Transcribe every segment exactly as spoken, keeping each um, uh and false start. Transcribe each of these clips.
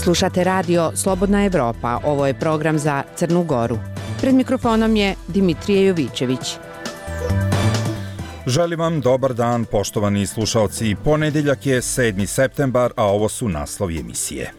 Slušate radio Slobodna Evropa, ovo je program za Crnu Goru. Pred mikrofonom je Dimitrije Jovićević. Želim vam dobar dan, poštovani slušalci. Ponedeljak je sedmi septembar, a ovo su naslovi emisije.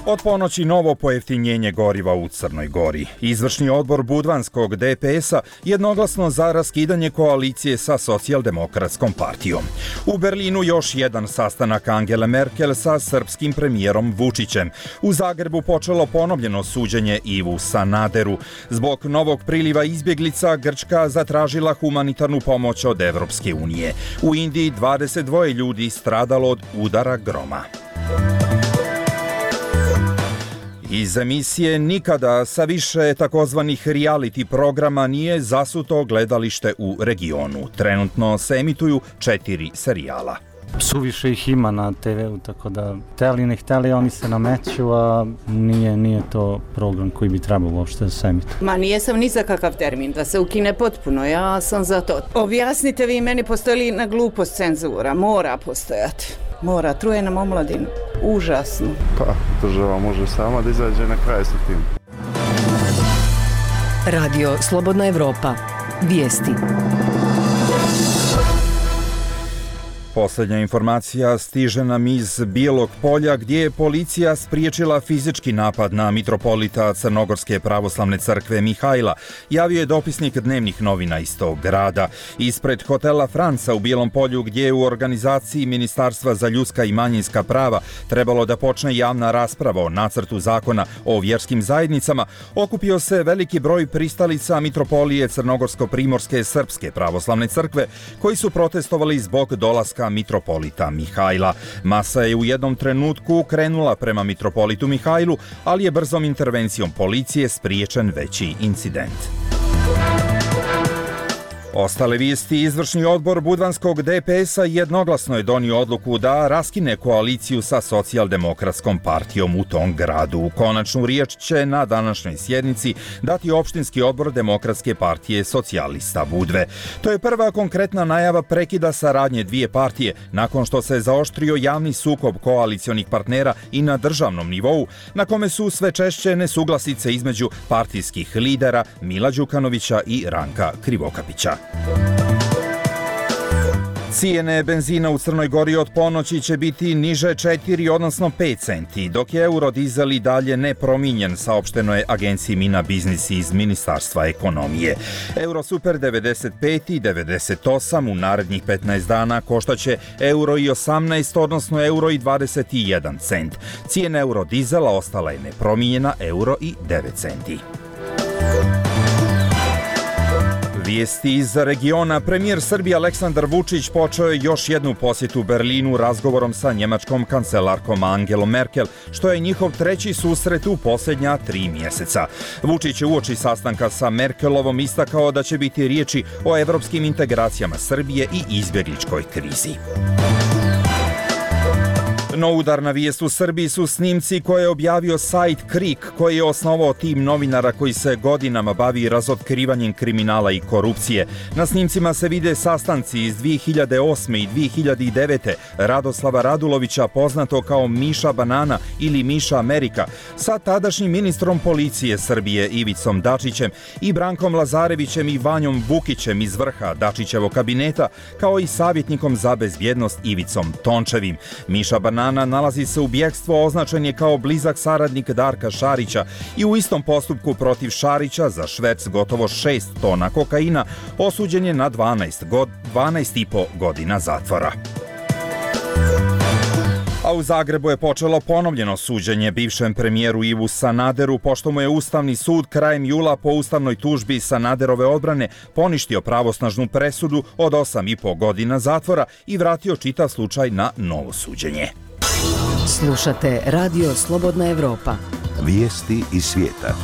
Od ponoći novo pojeftinjenje goriva u Crnoj Gori. Izvršni odbor Budvanskog D P S-a jednoglasno za raskidanje koalicije sa Socijaldemokratskom partijom. U Berlinu još jedan sastanak Angele Merkel sa srpskim premijerom Vučićem. U Zagrebu počelo ponovljeno suđenje Ivu Sanaderu. Zbog novog priliva izbjeglica Grčka zatražila humanitarnu pomoć od Evropske unije. U Indiji dvadeset dva ljudi stradalo od udara groma. Iz emisije nikada sa više takozvanih reality programa nije zasuto gledalište u regionu. Trenutno se emituju četiri serijala. Suviše ih ima na te ve u, tako da hteli ne hteli oni se nameću, a nije, nije to program koji bi trebao uopšte da se emituje. Ma nije sam ni za kakav termin, da se ukine potpuno, ja sam za to. Objasnite vi meni, postoji li na glupost cenzura? Mora postojati. Mora, truje nam omladinu. Užasno. Pa, država može sama da izađe na kraj sa tim. Radio Slobodna Evropa. Vijesti. Posljednja informacija stiže nam iz Bijelog Polja, gdje je policija spriječila fizički napad na mitropolita Crnogorske pravoslavne crkve Mihajla, javio je dopisnik dnevnih novina iz tog grada. Ispred hotela Franca u Bijelom Polju, gdje je u organizaciji Ministarstva za ljudska i manjinska prava trebalo da počne javna rasprava o nacrtu zakona o vjerskim zajednicama, okupio se veliki broj pristalica mitropolije Crnogorsko-primorske srpske pravoslavne crkve, koji su protestovali zbog dolaska mitropolita Mihajla. Masa je u jednom trenutku krenula prema mitropolitu Mihajlu, ali je brzom intervencijom policije spriječen veći incident. Ostale vijesti. Izvršni odbor Budvanskog D P S-a jednoglasno je donio odluku da raskine koaliciju sa Socijaldemokratskom partijom u tom gradu. Konačnu riječ će na današnjoj sjednici dati opštinski odbor Demokratske partije socijalista Budve. To je prva konkretna najava prekida saradnje dvije partije nakon što se zaoštrio javni sukob koalicionih partnera i na državnom nivou, na kome su sve češće nesuglasice između partijskih lidera Mila Đukanovića i Ranka Krivokapića. Cijene benzina u Crnoj Gori od ponoći će biti niže četiri, odnosno pet centi, dok je eurodizel i dalje nepromijenjen, saopšteno je agenciji Mina Biznis iz Ministarstva ekonomije. Eurosuper devedeset pet i devedeset osam u narednih petnaest dana koštaće euro i osamnaest, odnosno euro i dvadeset jedan cent. Cijena eurodizela ostala je nepromijenjena, euro i devet centi. Vijesti iz regiona. Premijer Srbije Aleksandar Vučić počeo je još jednu posjetu Berlinu razgovorom sa njemačkom kancelarkom Angelom Merkel, što je njihov treći susret u posljednja tri mjeseca. Vučić je uoči sastanka sa Merkelovom istakao da će biti riječi o evropskim integracijama Srbije i izbjegličkoj krizi. No udarna vijest u Srbiji su snimci koje je objavio sajt Krik, koji je osnovao tim novinara koji se godinama bavi razotkrivanjem kriminala i korupcije. Na snimcima se vide sastanci iz dvije hiljade osme i dvije hiljade devete Radoslava Radulovića, poznato kao Miša Banana ili Miša Amerika, sa tadašnjim ministrom policije Srbije Ivicom Dačićem i Brankom Lazarevićem i Vanjom Vukićem iz vrha Dačićevog kabineta, kao i savjetnikom za bezbjednost Ivicom Tončevim. Miša Banana nalazi se u bjegstvu, označen je kao blizak saradnik Darka Šarića i u istom postupku protiv Šarića za šverc gotovo šest tona kokaina osuđen je na dvanaest i po godina zatvora. A u Zagrebu je počelo ponovljeno suđenje bivšem premijeru Ivu Sanaderu, pošto mu je Ustavni sud krajem jula po ustavnoj tužbi Sanaderove odbrane poništio pravosnažnu presudu od osam i po godina zatvora i vratio čitav slučaj na novo suđenje. Slušate Radio Slobodna Evropa. Vijesti iz svijeta.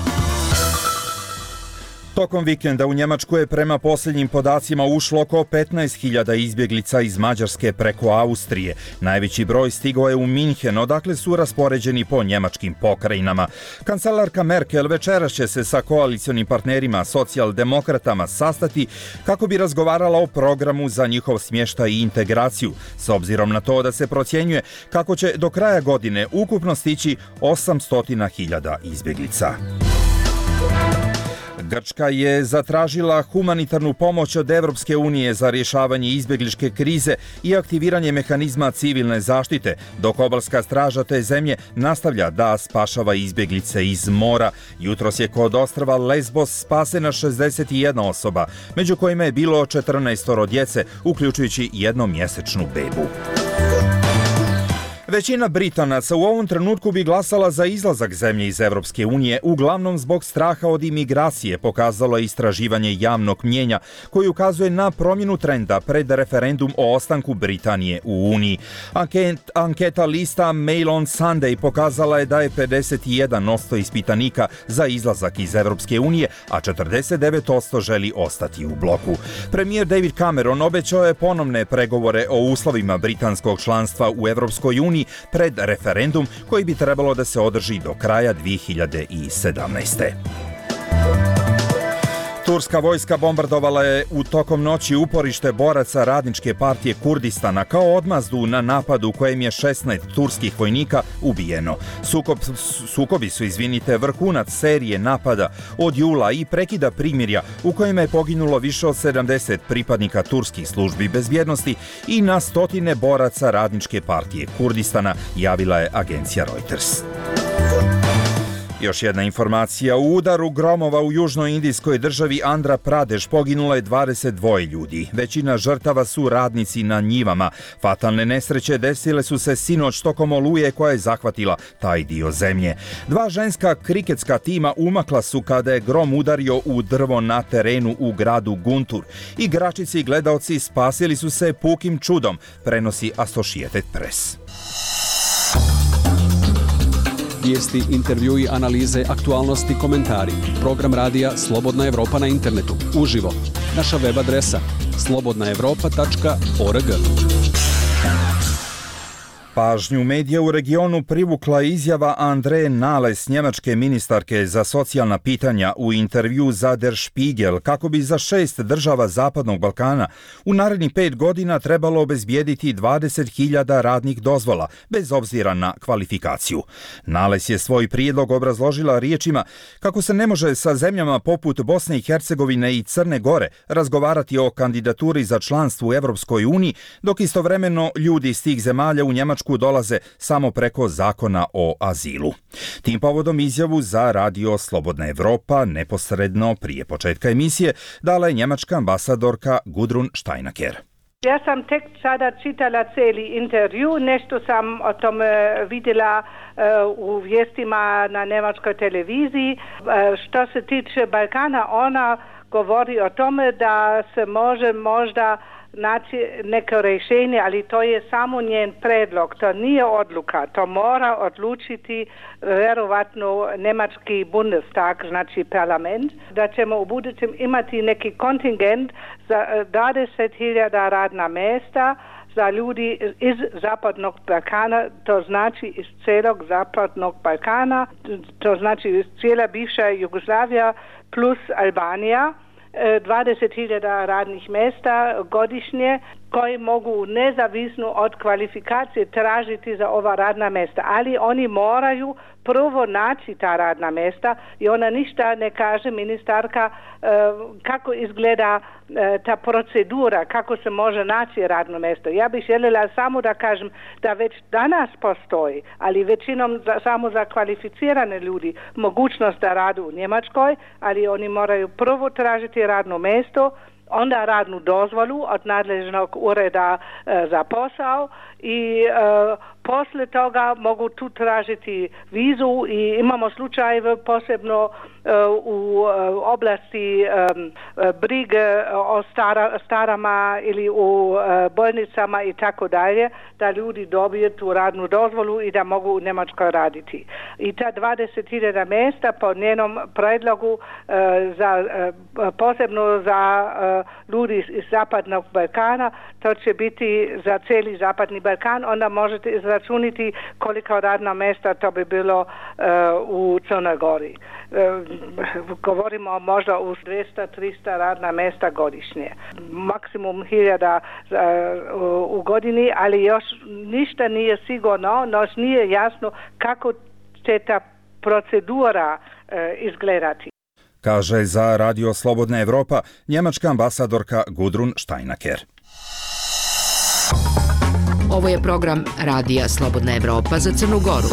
Tokom vikenda u Njemačku je prema posljednjim podacima ušlo oko petnaest hiljada izbjeglica iz Mađarske preko Austrije. Najveći broj stigao je u Minhen, odakle su raspoređeni po njemačkim pokrajinama. Kancelarka Merkel večeras će se sa koalicionim partnerima socijaldemokratama sastati kako bi razgovarala o programu za njihov smještaj i integraciju, s obzirom na to da se procjenjuje kako će do kraja godine ukupno stići osamsto hiljada izbjeglica. Grčka je zatražila humanitarnu pomoć od Evropske unije za rješavanje izbjegličke krize i aktiviranje mehanizma civilne zaštite, dok obalska straža te zemlje nastavlja da spašava izbjeglice iz mora. Jutros je kod ostrva Lesbos spasena šezdeset jedna osoba, među kojima je bilo četrnaestoro djece, uključujući jednomjesečnu bebu. Većina Britanaca u ovom trenutku bi glasala za izlazak zemlje iz Evropske unije, uglavnom zbog straha od imigracije, pokazalo je istraživanje javnog mnjenja koji ukazuje na promjenu trenda pred referendum o ostanku Britanije u Uniji. Anket, anketa lista Mail on Sunday pokazala je da je pedeset jedan posto ispitanika za izlazak iz Evropske unije, a četrdeset devet posto želi ostati u bloku. Premijer David Cameron obećao je ponovne pregovore o uslovima britanskog članstva u Evropskoj uniji pred referendum koji bi trebalo da se održi do kraja dvije hiljade sedamnaeste. Turska vojska bombardovala je u tokom noći uporište boraca Radničke partije Kurdistana kao odmazdu na napadu u kojem je šesnaest turskih vojnika ubijeno. Sukob, sukobi su, izvinite, vrhunac serije napada od jula i prekida primirja u kojima je poginulo više od sedamdeset pripadnika turskih službi bezbjednosti i na stotine boraca Radničke partije Kurdistana, javila je agencija Reuters. Još jedna informacija. U udaru gromova u južnoindijskoj državi Andhra Pradesh poginulo je dvadeset dva ljudi. Većina žrtava su radnici na njivama. Fatalne nesreće desile su se sinoć tokom oluje koja je zahvatila taj dio zemlje. Dva ženska kriketska tima umakla su kada je grom udario u drvo na terenu u gradu Guntur. Igračici i gledaoci spasili su se pukim čudom, prenosi Associated Press. Vijesti, intervjui, analize, aktualnosti, komentari. Program radija Slobodna Evropa na internetu. Uživo. Naša web adresa slobodna evropa tačka org. Pažnju medija u regionu privukla izjava Andreje Nales, njemačke ministarke za socijalna pitanja, u intervju za Der Spiegel, kako bi za šest država Zapadnog Balkana u narednih pet godina trebalo obezbijediti dvadeset hiljada radnih dozvola, bez obzira na kvalifikaciju. Nales je svoj prijedlog obrazložila riječima kako se ne može sa zemljama poput Bosne i Hercegovine i Crne Gore razgovarati o kandidaturi za članstvo u Evropskoj uniji, dok istovremeno ljudi iz tih zemalja u Njemačku dolaze samo preko zakona o azilu. Tim povodom izjavu za radio Slobodna Evropa neposredno prije početka emisije dala je njemačka ambasadorka Gudrun Steinaker. Ja sam tek sada čitala cijeli intervju, nešto sam o tome vidjela uh, u vijestima na njemačkoj televiziji. Uh, što se tiče Balkana, ona govori o tome da se može možda naći neko rješenje, ali to je samo njen predlog, to nije odluka, to mora odlučiti vjerovatno njemački Bundestag, znači parlament, da ćemo u budućem imati neki kontingent za dvadeset hiljada radna mjesta za ljudi iz Zapadnog Balkana, to znači iz cijelog Zapadnog Balkana, to znači iz cijela bivša Jugoslavija plus Albanija, dvadeset hiljada radnih mjesta godišnje koji mogu nezavisno od kvalifikacije tražiti za ova radna mjesta. Ali oni moraju prvo naći ta radna mjesta i ona ništa ne kaže, ministarka, kako izgleda ta procedura, kako se može naći radno mjesto. Ja bih željela samo da kažem da već danas postoji, ali većinom za, samo za kvalificirane ljudi, mogućnost da radu u Njemačkoj, ali oni moraju prvo tražiti radno mjesto, onda radnu dozvolu od nadležnog ureda e, za posao i e, posle toga mogu tu tražiti vizu i imamo slučajeve posebno e, u e, oblasti e, brige o stara, starama ili u e, bolnicama i tako dalje, da ljudi dobiju tu radnu dozvolu i da mogu u Njemačkoj raditi. I ta dvadeset hiljada mjesta po njenom predlogu e, za, e, posebno za e, ljudi iz Zapadnog Balkana, to će biti za cijeli Zapadni Balkan, onda možete izračuniti koliko radna mjesta to bi bilo e, u Crnoj Gori. E, govorimo možda u dvjesto do tristo radna mjesta godišnje. Maksimum hiljada e, u, u godini, ali još ništa nije sigurno, još nije jasno kako će ta procedura e, izgledati. Kaže za Radio Slobodna Evropa njemačka ambasadorka Gudrun Steinaker. Ovo je program Radija Slobodna Evropa za Crnu Goru.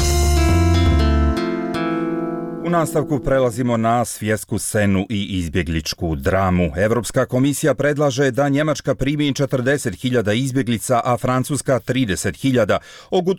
U nastavku prelazimo na svjetsku scenu i izbjegličku dramu. Evropska komisija predlaže da Njemačka primi četrdeset hiljada izbjeglica, a Francuska trideset hiljada.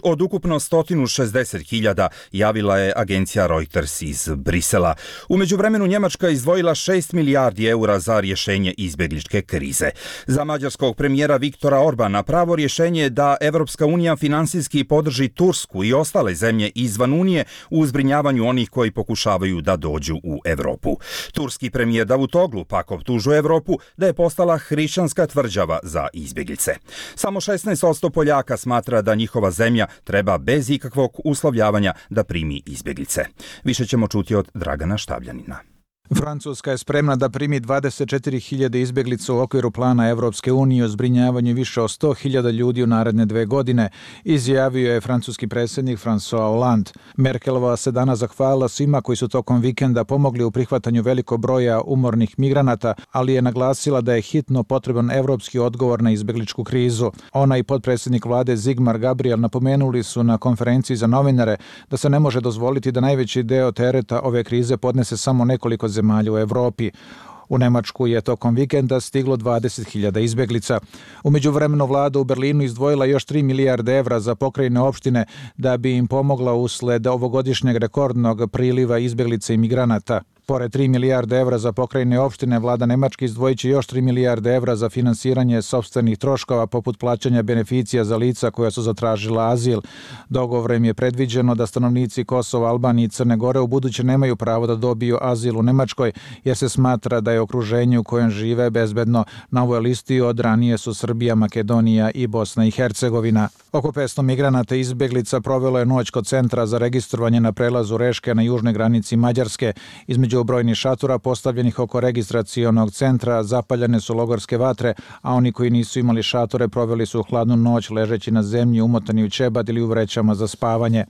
Od ukupno sto šezdeset hiljada, javila je agencija Reuters iz Brisela. U međuvremenu Njemačka izdvojila šest milijardi eura za rješenje izbjegličke krize. Za mađarskog premijera Viktora Orbana pravo rješenje je da Evropska unija finansijski podrži Tursku i ostale zemlje izvan Unije u zbrinjavanju onih koji pokušavaju da dođu u Evropu. Turski premijer Davutoglu pak optužuje Evropu da je postala hrišćanska tvrđava za izbjeglice. Samo šesnaest posto Poljaka smatra da njihova zemlja treba bez ikakvog uslovljavanja da primi izbjeglice. Više ćemo čuti od Dragana Štavljanina. Francuska je spremna da primi dvadeset četiri hiljade izbjeglica u okviru plana Evropske unije o zbrinjavanju više od sto hiljada ljudi u naredne dve godine, izjavio je francuski predsjednik François Hollande. Merkelova se danas zahvalila svima koji su tokom vikenda pomogli u prihvatanju velikog broja umornih migranata, ali je naglasila da je hitno potreban evropski odgovor na izbjegličku krizu. Ona i potpredsjednik vlade Sigmar Gabriel napomenuli su na konferenciji za novinare da se ne može dozvoliti da najveći deo tereta ove krize podnese samo nekoliko zemalja u Evropi. U Nemačku je tokom vikenda stiglo dvadeset hiljada izbjeglica. U međuvremenu vlada u Berlinu izdvojila još tri milijarde evra za pokrajine opštine da bi im pomogla usled ovogodišnjeg rekordnog priliva izbjeglica i migranata. Pored tri milijarde evra za pokrajine opštine, vlada Nemačke izdvojit će još tri milijarde evra za finansiranje sopstvenih troškova poput plaćanja beneficija za lica koja su zatražila azil. Dogovorem je predviđeno da stanovnici Kosova, Albanije i Crne Gore u buduće nemaju pravo da dobiju azil u Nemačkoj, jer se smatra da je okruženje u kojem žive bezbedno. Na ovoj listi od ranije su Srbija, Makedonija i Bosna i Hercegovina. Oko petsto migranata i izbjeglica provelo je noć kod centra za registrovanje na prelazu Reške na južnoj granici Mađarske. Između brojnih šatora postavljenih oko registracionog centra zapaljene su logorske vatre, a oni koji nisu imali šatore proveli su hladnu noć ležeći na zemlji umotani u ćebad ili u vrećama za spavanje.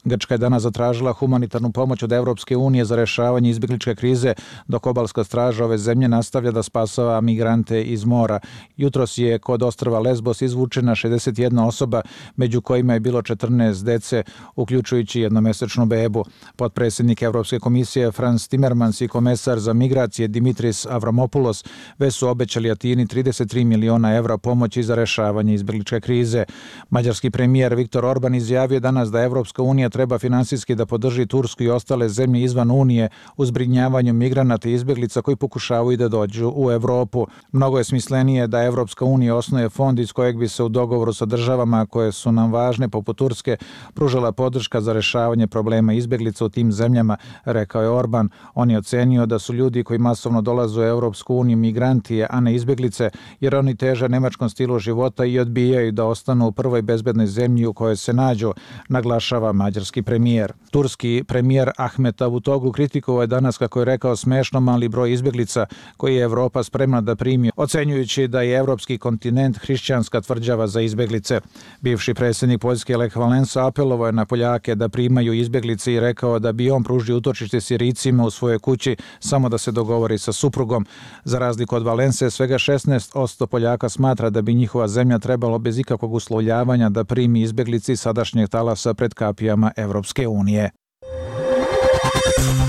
Grčka je danas zatražila humanitarnu pomoć od Evropske unije za rešavanje izbjegličke krize, dok obalska straža ove zemlje nastavlja da spasava migrante iz mora. Jutros je kod ostrva Lesbos izvučena šezdeset jedna osoba, među kojima je bilo četrnaest dece, uključujući jednomesečnu bebu. Potpredsjednik Evropske komisije Frans Timmermans i komesar za migracije Dimitris Avramopoulos već su obećali Atini trideset tri miliona evra pomoći za rešavanje izbjegličke krize. Mađarski premijer Viktor Orban izjavio danas da Evropska unija treba finansijski da podrži Tursku i ostale zemlje izvan Unije u zbrinjavanju migranata i izbjeglica koji pokušavaju da dođu u Evropu. Mnogo je smislenije da Evropska unija osnuje fond iz kojeg bi se u dogovoru sa državama koje su nam važne poput Turske pružala podrška za rešavanje problema izbjeglica u tim zemljama, rekao je Orban. On je ocenio da su ljudi koji masovno dolaze u Evropsku uniju migranti, a ne izbjeglice, jer oni teže nemačkom stilu života i odbijaju da ostanu u prvoj bezbednoj zemlji u kojoj se nađu, naglašava mađarski premijer. Turski premijer Ahmet Davutoglu kritikovao je danas, kako je rekao, smešno mali broj izbjeglica koji je Evropa spremna da primi, ocenjujući da je evropski kontinent hrišćanska tvrđava za izbjeglice. Bivši predsjednik Poljske Lech Walesa apelovao je na Poljake da primaju izbjeglice i rekao da bi on pružio utočište Sirijcima u svojoj kući samo da se dogovori sa suprugom. Za razliku od Valense, svega šesnaest posto Poljaka smatra da bi njihova zemlja trebalo bez ikakvog uslovljavanja da primi izbjeglici sadašnjeg talasa pred kapijama Evropske unije.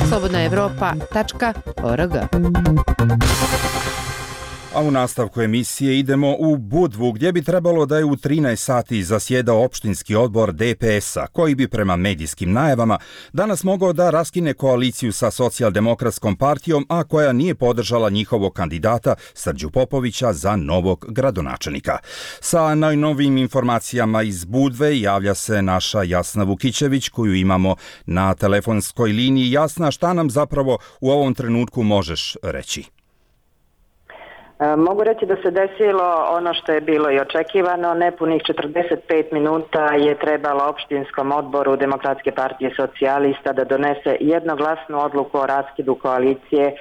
slobodna evropa tačka org A u nastavku emisije idemo u Budvu, gdje bi trebalo da je u trinaest sati zasjedao opštinski odbor D P S-a, koji bi prema medijskim najavama danas mogao da raskine koaliciju sa Socijaldemokratskom partijom, a koja nije podržala njihovog kandidata Srđu Popovića za novog gradonačelnika. Sa najnovijim informacijama iz Budve javlja se naša Jasna Vukićević, koju imamo na telefonskoj liniji. Jasna, šta nam zapravo u ovom trenutku možeš reći? Mogu reći da se desilo ono što je bilo i očekivano. Nepunih četrdeset pet minuta je trebalo opštinskom odboru Demokratske partije socijalista da donese jednoglasnu odluku o raskidu koalicije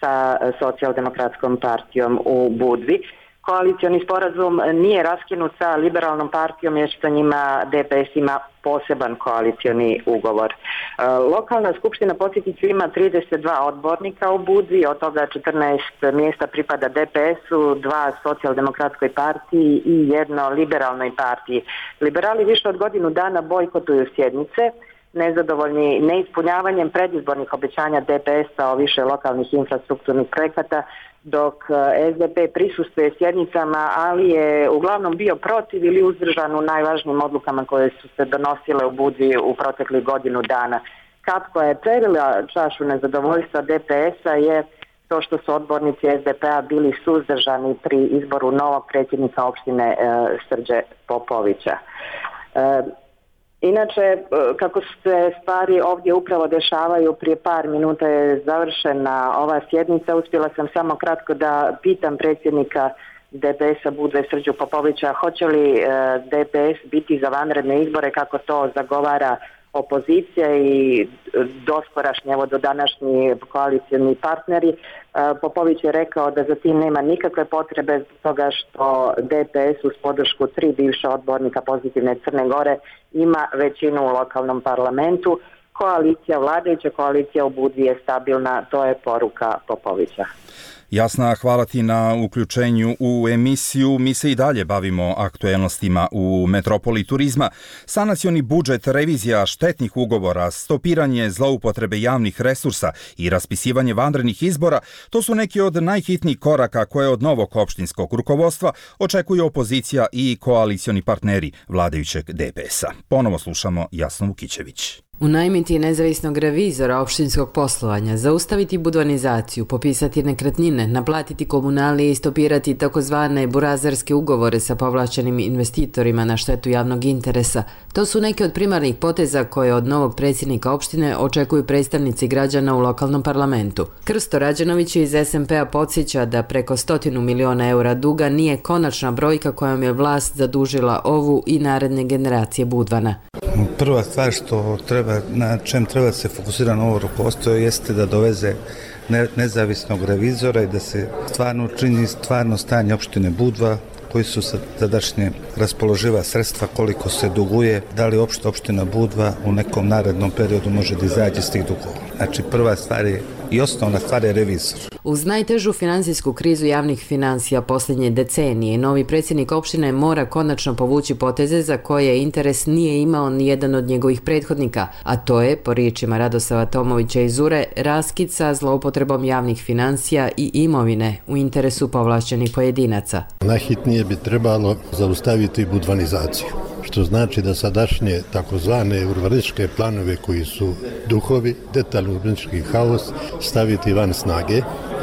sa Socijaldemokratskom partijom u Budvi. Koalicioni sporazum nije raskinut sa liberalnom partijom jer što njima D P S ima poseban koalicioni ugovor. E, lokalna skupština, podsjetit ću, ima trideset dva odbornika u Budvi, od toga četrnaest mjesta pripada D P S-u, dva Socijaldemokratskoj partiji i jedno liberalnoj partiji. Liberali više od godinu dana bojkotuju sjednice, nezadovoljni neispunjavanjem predizbornih obećanja D P S-a o više lokalnih infrastrukturnih projekata, dok S D P prisustvuje sjednicama, ali je uglavnom bio protiv ili uzdržan u najvažnijim odlukama koje su se donosile u Budvi u proteklih godinu dana. Kap koja je prelila čašu nezadovoljstva D P S-a je to što su odbornici S D P-a bili suzdržani pri izboru novog predsjednika opštine e, Srđe Popovića. E, Inače, kako se stvari ovdje upravo dešavaju, prije par minuta je završena ova sjednica. Uspjela sam samo kratko da pitam predsjednika D P S-a Budve Srđu Popovića hoće li D P S biti za vanredne izbore kako to zagovara opozicija i doskorašnji, evo do današnji koalicijni partneri. Popović je rekao da za tim nema nikakve potrebe zbog toga što D P S uz podršku tri bivša odbornika Pozitivne Crne Gore ima većinu u lokalnom parlamentu. Koalicija, vladajuća koalicija u Budvi je stabilna, to je poruka Popovića. Jasna, hvala ti na uključenju u emisiju. Mi se i dalje bavimo aktuelnostima u metropoli turizma. Sanacioni budžet, revizija štetnih ugovora, stopiranje zloupotrebe javnih resursa i raspisivanje vanrednih izbora, to su neki od najhitnijih koraka koje od novog opštinskog rukovodstva očekuju opozicija i koalicioni partneri vladajućeg D P S-a. Ponovo slušamo Jasnu Vukićević. Unajmiti nezavisnog revizora opštinskog poslovanja, zaustaviti budvanizaciju, popisati nekretnine, naplatiti komunalije i stopirati takozvane burazerske ugovore sa povlašćenim investitorima na štetu javnog interesa. To su neke od primarnih poteza koje od novog predsjednika opštine očekuju predstavnici građana u lokalnom parlamentu. Krsto Rađenović iz S M P-a podsjeća da preko stotinu miliona eura duga nije konačna brojka kojom je vlast zadužila ovu i naredne generacije Budvana. Prva stvar što treba, na čem treba se fokusirati novo rukovodstvo jeste da doveze ne, nezavisnog revizora i da se stvarno čini stvarno stanje opštine Budva, koji su sadašnje raspoloživa sredstva, koliko se duguje, da li opšta opština Budva u nekom narednom periodu može da izađe s tih dugova. Znači prva stvar je i osnovna stvar je revizor. Uz najtežu finansijsku krizu javnih financija posljednje decenije, novi predsjednik opštine mora konačno povući poteze za koje interes nije imao ni jedan od njegovih prethodnika, a to je, po riječima Radosava Tomovića iz Ure, raskid sa zloupotrebom javnih financija i imovine u interesu povlašćenih pojedinaca. Najhitnije bi trebalo zaustaviti budvanizaciju, što znači da sadašnje takozvane urbanističke planove koji su duhovi, detaljni urbanistički haos staviti van snage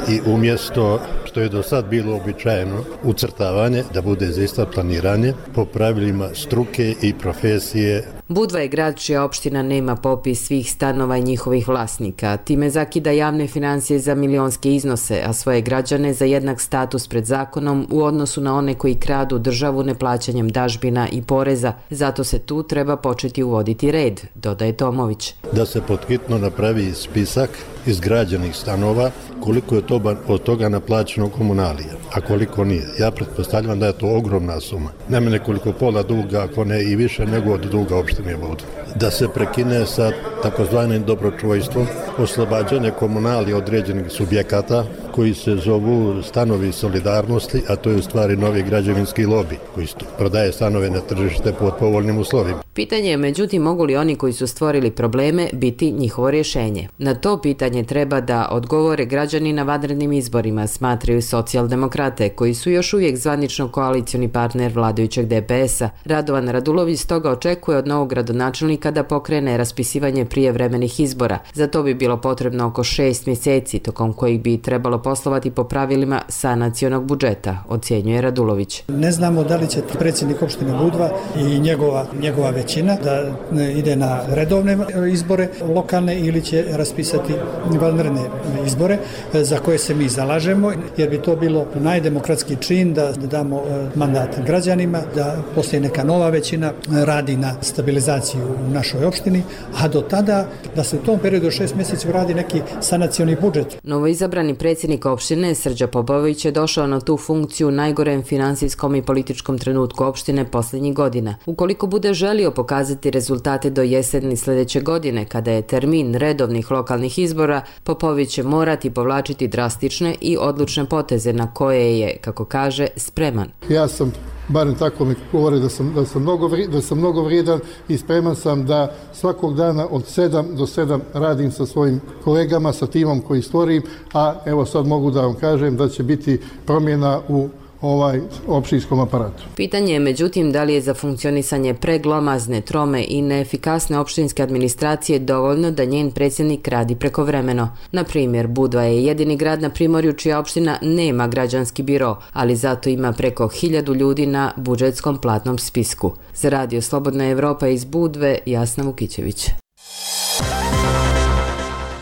i umjesto što je do sad bilo običajeno ucrtavanje da bude zaista planiranje po pravilima struke i profesije. Budva je grad čija opština nema popis svih stanova i njihovih vlasnika. Time zakida javne financije za milionske iznose, a svoje građane za jednak status pred zakonom u odnosu na one koji kradu državu neplaćanjem dažbina i poreza. Zato se tu treba početi uvoditi red, dodaje Tomović. Da se podhitno napravi spisak izgrađenih stanova, koliko je to od toga naplaćeno komunalija, a koliko nije. Ja pretpostavljam da je to ogromna suma. Nema nekoliko pola duga, ako ne i više nego od duga opštine Budva. Da se prekine sa takozvanim dobročuvojstvom, oslobađanje komunalija određenih subjekata, koji se zovu stanovi solidarnosti, a to je u stvari novi građevinski lobi koji prodaje stanove na tržište pod povoljnim uslovima. Pitanje je međutim mogu li oni koji su stvorili probleme biti njihovo rješenje. Na to pitanje treba da odgovore građani na vanrednim izborima, smatraju socijaldemokrate koji su još uvijek zvanično koalicioni partner vladajućeg D P S-a. Radovan Radulović stoga očekuje od novog gradonačelnika da pokrene raspisivanje prijevremenih izbora. Za to bi bilo potrebno oko šest mjeseci, tokom kojih bi trebalo poslovati po pravilima sanacionog budžeta, ocjenjuje Radulović. Ne znamo da li će predsjednik opštine Budva i njegova, njegova većina da ide na redovne izbore lokalne ili će raspisati vanredne izbore za koje se mi zalažemo, jer bi to bilo najdemokratski čin da damo mandat građanima, da postoji neka nova većina radi na stabilizaciju u našoj opštini, a do tada da se u tom periodu šest mjeseci radi neki sanacioni budžet. Novoizabrani predsjednik opštine Srđa Popović je došao na tu funkciju u najgorem finansijskom i političkom trenutku opštine posljednjih godina. Ukoliko bude želio pokazati rezultate do jeseni sljedeće godine, kada je termin redovnih lokalnih izbora, Popović će morati povlačiti drastične i odlučne poteze na koje je, kako kaže, spreman. Ja sam, barem tako mi govore da sam, da sam, mnogo, da sam mnogo vrijedan i spreman sam da svakog dana od sedam do sedam radim sa svojim kolegama, sa timom koji stvorim, a evo sad mogu da vam kažem da će biti promjena u ovaj opštinskom aparatu. Pitanje je međutim da li je za funkcionisanje preglomazne, trome i neefikasne opštinske administracije dovoljno da njen predsjednik radi prekovremeno. Na primjer, Budva je jedini grad na Primorju čija opština nema građanski biro, ali zato ima preko hiljadu ljudi na budžetskom platnom spisku. Za radio Slobodna Evropa iz Budve, Jasna Vukićević.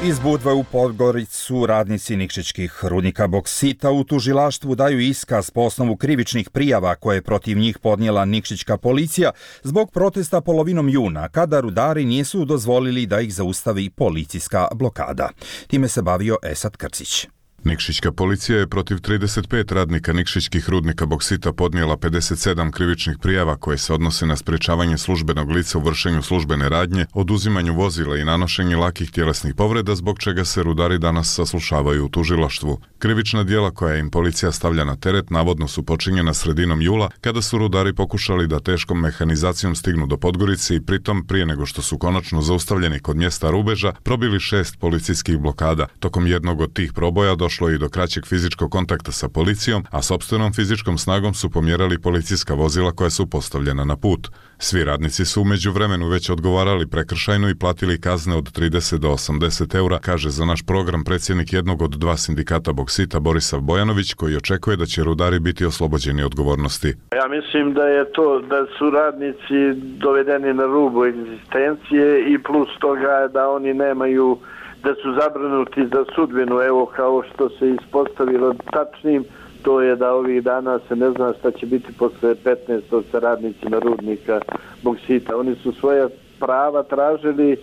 Iz Budve u Podgoricu radnici nikšićkih rudnika boksita u tužilaštvu daju iskaz po osnovu krivičnih prijava koje je protiv njih podnijela nikšićka policija zbog protesta polovinom juna, kada rudari nisu dozvolili da ih zaustavi policijska blokada. Time se bavio Esad Krcić. Nikšićka policija je protiv trideset pet radnika nikšićkih rudnika boksita podnijela pedeset sedam krivičnih prijava koje se odnose na sprečavanje službenog lica u vršenju službene radnje, oduzimanju vozila i nanošenje lakih tjelesnih povreda, zbog čega se rudari danas saslušavaju u tužilaštvu. Krivična djela koja im policija stavlja na teret navodno su počinjena sredinom jula, kada su rudari pokušali da teškom mehanizacijom stignu do Podgorice i pritom, prije nego što su konačno zaustavljeni kod mjesta rubeža, probili šest policijskih blokada. Tokom jednog od tih proboja došlo je i do kraćeg fizičkog kontakta sa policijom, a sopstvenom fizičkom snagom su pomjerali policijska vozila koja su postavljena na put. Svi radnici su u međuvremenu već odgovarali prekršajno i platili kazne od trideset do osamdeset eura, kaže za naš program predsjednik jednog od dva sindikata boksita Borisav Bojanović, koji očekuje da će rudari biti oslobođeni odgovornosti. Ja mislim da je to da su radnici dovedeni na rubu egzistencije i plus toga da oni nemaju, da su zabrinuti za sudbinu, evo kao što se ispostavilo tačnim, to je da ovih dana se ne zna šta će biti posle petnaestog sa radnicima rudnika boksita. Oni su svoja prava tražili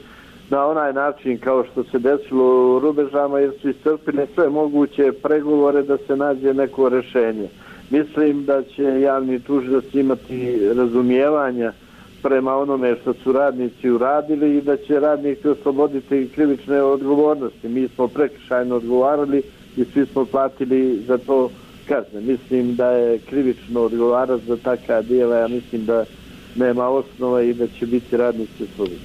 na onaj način kao što se desilo u rubežama, jer su iscrpili sve moguće pregovore da se nađe neko rješenje. Mislim da će javni tužilac imati razumijevanja prema onome što su radnici uradili i da će radnici osloboditi krivične odgovornosti. Mi smo prekršajno odgovarali i svi smo platili za to kazne. Mislim da je krivično odgovarati za takva djela, ja mislim da nema osnova i da će biti radnici oslobodeni.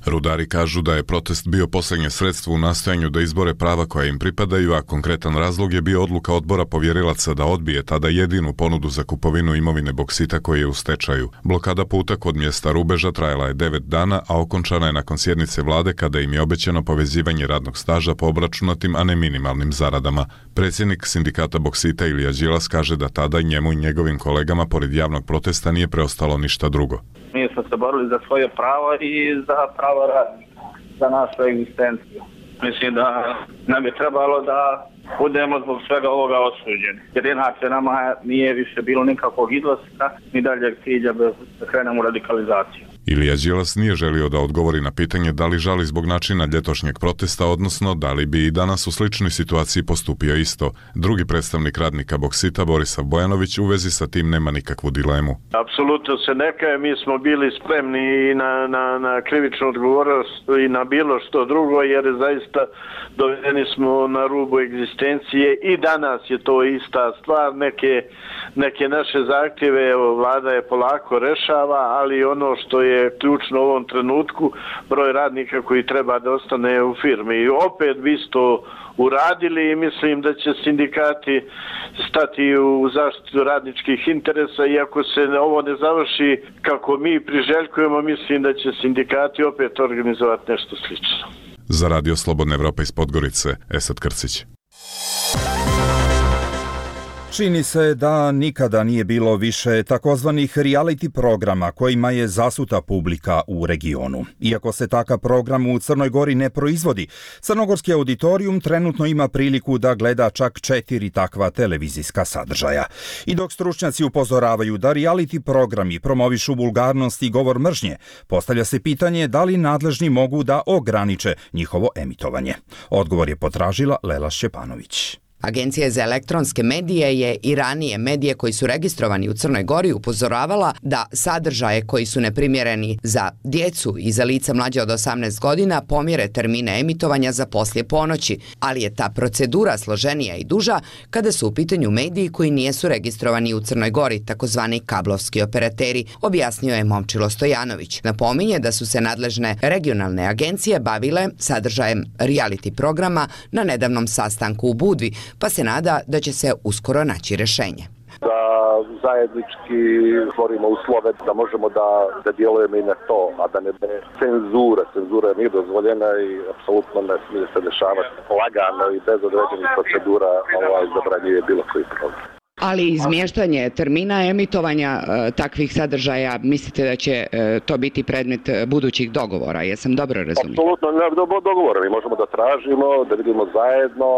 Rudari kažu da je protest bio posljednje sredstvo u nastojanju da izbore prava koja im pripadaju, a konkretan razlog je bio odluka odbora povjerilaca da odbije tada jedinu ponudu za kupovinu imovine boksita koji je u stečaju. Blokada puta kod mjesta rubeža trajala je devet dana, a okončana je nakon sjednice vlade kada im je obećano povezivanje radnog staža po obračunatim, a ne minimalnim zaradama. Predsjednik sindikata boksita Ilija Đilas kaže da tada njemu i njegovim kolegama pored javnog protesta nije preostalo ništa drugo. Mi smo se borili za svoje pravo i za pravo radnika, za našu egzistenciju. Mislim da nam je trebalo da budemo zbog svega ovoga osuđeni. Jer inače nama nije više bilo nikakvog izlaska ni daljeg cilja da krenemo u radikalizaciju. Ilija Đilas nije želio da odgovori na pitanje da li žali zbog načina ljetosnjeg protesta, odnosno da li bi i danas u sličnoj situaciji postupio isto. Drugi predstavnik radnika Boksita, Borisav Bojanović, u vezi sa tim nema nikakvu dilemu. Apsolutno se ne kaje, mi smo bili spremni i na, na, na krivičnu odgovornost i na bilo što drugo, jer zaista dovedeni smo na rubu egzistencije i danas je to ista stvar. Neke, neke naše zahtjeve evo, vlada je polako rešava, ali ono što je ključno u ovom trenutku, broj radnika koji treba da ostane u firmi. I opet bi isto uradili i mislim da će sindikati stati u zaštitu radničkih interesa, i ako se ovo ne završi kako mi priželjkujemo, mislim da će sindikati opet organizovati nešto slično. Za Radio Slobodna Evropa iz Podgorice, Esad Krcić. Čini se da nikada nije bilo više takozvanih reality programa kojima je zasuta publika u regionu. Iako se takav program u Crnoj Gori ne proizvodi, crnogorski auditorijum trenutno ima priliku da gleda čak četiri takva televizijska sadržaja. I dok stručnjaci upozoravaju da reality programi promovišu vulgarnost i govor mržnje, postavlja se pitanje da li nadležni mogu da ograniče njihovo emitovanje. Odgovor je potražila Lela Šćepanović. Agencija za elektronske medije je i ranije medije koji su registrovani u Crnoj Gori upozoravala da sadržaje koji su neprimjereni za djecu i za lica mlađe od osamnaest godina pomjere termine emitovanja za poslije ponoći, ali je ta procedura složenija i duža kada su u pitanju mediji koji nijesu registrovani u Crnoj Gori, takozvani kablovski operateri, objasnio je Momčilo Stojanović. Napominje da su se nadležne regionalne agencije bavile sadržajem reality programa na nedavnom sastanku u Budvi, pa se nada da će se uskoro naći rješenje. Da zajednički stvorimo uslove da možemo da, da djelujemo i na to, a da ne bude cenzura. Cenzura nije dozvoljena i apsolutno ne smije se dešavati lagano i bez određenih procedura ovaj, zabranjuje bilo koji program. Ali izmještanje termina emitovanja e, takvih sadržaja, mislite da će e, to biti predmet budućih dogovora? Jesam dobro razumio? Apsolutno ne dogovora. Mi možemo da tražimo, da vidimo zajedno,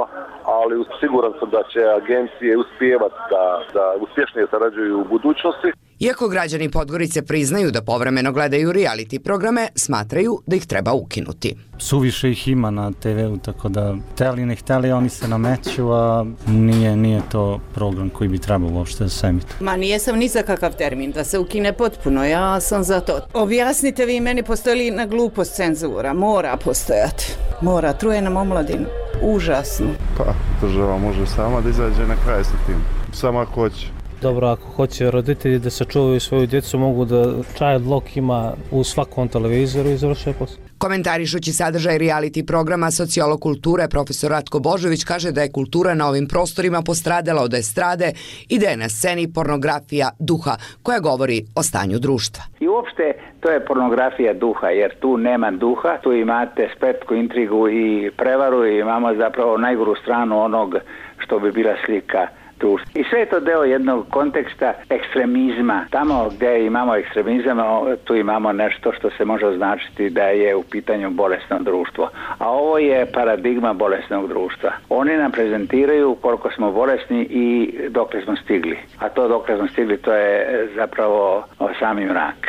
ali siguran sam da će agencije uspijevati da, da uspješnije sarađuju u budućnosti. Iako građani Podgorice priznaju da povremeno gledaju reality programe, smatraju da ih treba ukinuti. Suviše ih ima na te ve u, tako da hteli ne hteli, oni se nameću, a nije, nije to program koji bi trebao uopšte da se emituje. Ma nijesam ni za kakav termin, da se ukine potpuno, ja sam za to. Objasnite vi meni, postoji li na glupost cenzura? Mora postojati. Mora, truje nam omladinu. Užasno. Pa, država može sama da izađe na kraj sa tim. Samo ako hoće. Dobro, ako hoće roditelji da sačuvaju svoju djecu, mogu da child lock ima u svakom televizoru i završuje posao. Komentarišući sadržaj reality programa, sociolog kulture profesor Ratko Božović kaže da je kultura na ovim prostorima postradala od estrade i da je na sceni pornografija duha koja govori o stanju društva. I uopšte to je pornografija duha, jer tu nema duha, tu imate spletku, intrigu i prevaru i imamo zapravo najgoru stranu onog što bi bila slika društva. I sve je to deo jednog konteksta ekstremizma. Tamo gdje imamo ekstremizam, tu imamo nešto što se može označiti da je u pitanju bolesno društvo. A ovo je paradigma bolesnog društva. Oni nam prezentiraju koliko smo bolesni i dokle smo stigli. A to dokle smo stigli, to je zapravo sami mrak.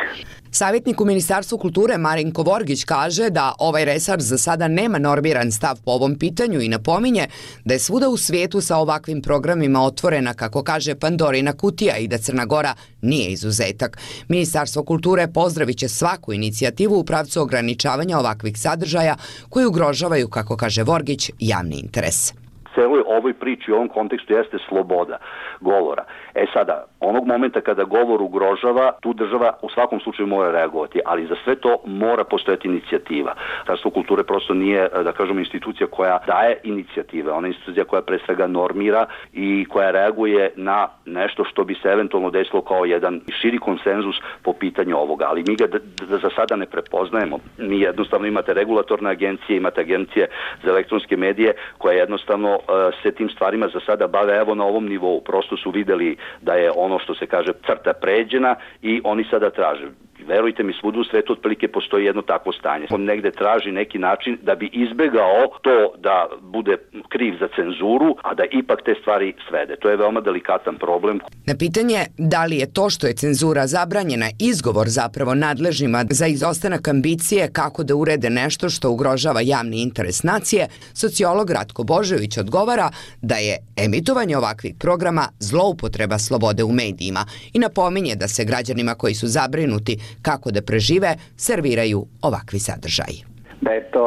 Savjetnik u Ministarstvu kulture Marinko Vorgić kaže da ovaj resor za sada nema normiran stav po ovom pitanju i napominje da je svuda u svijetu sa ovakvim programima otvorena, kako kaže, Pandorina kutija i da Crna Gora nije izuzetak. Ministarstvo kulture pozdravit će svaku inicijativu u pravcu ograničavanja ovakvih sadržaja koji ugrožavaju, kako kaže Vorgić, javni interes. Celoj ovoj priči u ovom kontekstu jeste sloboda govora. E sada, onog momenta kada govor ugrožava, tu država u svakom slučaju mora reagovati, ali za sve to mora postojati inicijativa. Ministarstvo kulture prosto nije, da kažemo, institucija koja daje inicijative, ona je institucija koja pre svega normira i koja reaguje na nešto što bi se eventualno desilo kao jedan širi konsenzus po pitanju ovoga, ali mi ga d- d- za sada ne prepoznajemo. Mi jednostavno imate regulatorne agencije, imate agencije za elektronske medije koje jednostavno uh, se tim stvarima za sada bave evo na ovom nivou. Prosto su videli da je ono što se kaže crta pređena i oni sada traže. Verujte mi, svuda u svetu otprilike postoji jedno takvo stanje. On negde traži neki način da bi izbegao to da bude kriv za cenzuru, a da ipak te stvari svede. To je veoma delikatan problem. Na pitanje da li je to što je cenzura zabranjena izgovor zapravo nadležnima za izostanak ambicije kako da urede nešto što ugrožava javni interes nacije, sociolog Ratko Božović odgovara da je emitovanje ovakvih programa zloupotreba slobode u medijima i napominje da se građanima koji su zabrinuti kako da prežive serviraju ovakvi sadržaji. Da je to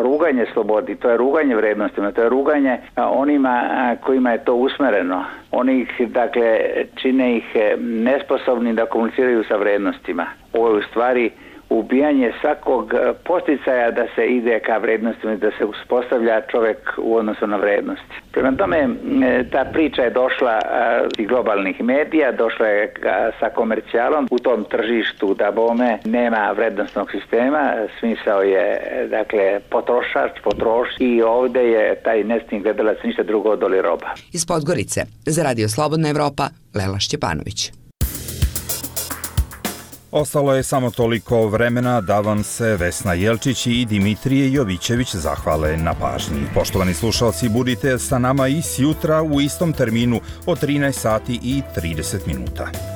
ruganje slobodi, to je ruganje vrednostima, to je ruganje onima kojima je to usmereno. Oni ih, dakle, čine ih nesposobni da komuniciraju sa vrednostima. Ovo je u stvari ubijanje svakog posticaja da se ide ka vrednostima, da se uspostavlja čovjek u odnosu na vrednosti. Prema tome, ta priča je došla iz globalnih medija, došla je sa komercijalom. U tom tržištu da bome nema vrednostnog sistema, smisao je, dakle, potrošač, potroš i ovdje je taj nesretni gledalac ništa drugo od doli roba. Iz Podgorice, za Radio Slobodna Evropa, Lela Šćepanović. Ostalo je samo toliko vremena da vam se Vesna Jelčić i Dimitrije Jovićević zahvale na pažnji. Poštovani slušalci, budite sa nama i sjutra u istom terminu od trinaest sati i trideset minuta.